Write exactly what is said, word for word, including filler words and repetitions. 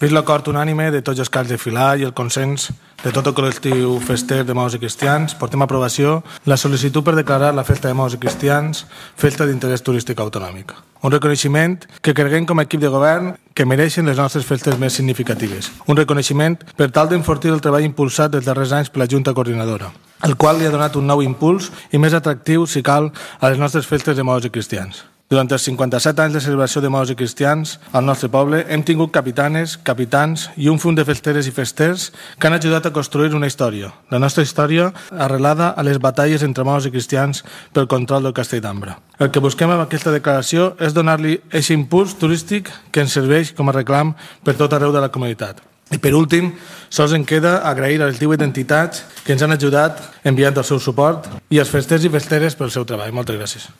Vist l'acord unànime de tots els caps de filar i el consens de tot el col·lectiu fester de moros i cristians, portem a aprovació la sol·licitud per declarar la festa de moros i cristians festa d'interès turístic autonòmic. Un reconeixement que creguem com a equip de govern que mereixen les nostres festes més significatives. Un reconeixement per tal d'enfortir el treball impulsat dels darrers anys per la Junta Coordinadora, el qual li ha donat un nou impuls i més atractiu, si cal, a les nostres festes de moros i cristians. Durant els cinquanta-set anys de celebració de moros i cristians al nostre poble hem tingut capitanes, capitans i un funt de festeres i festers que han ajudat a construir una història, la nostra història arrelada a les batalles entre moros i cristians pel control del Castell d'Ambra. El que busquem amb aquesta declaració és donar-li aquest impuls turístic que ens serveix com a reclam per tot arreu de la comunitat. I per últim, sols em queda agrair a les divuit entitats que ens han ajudat enviant el seu suport i als festers i festeres pel seu treball. Moltes gràcies.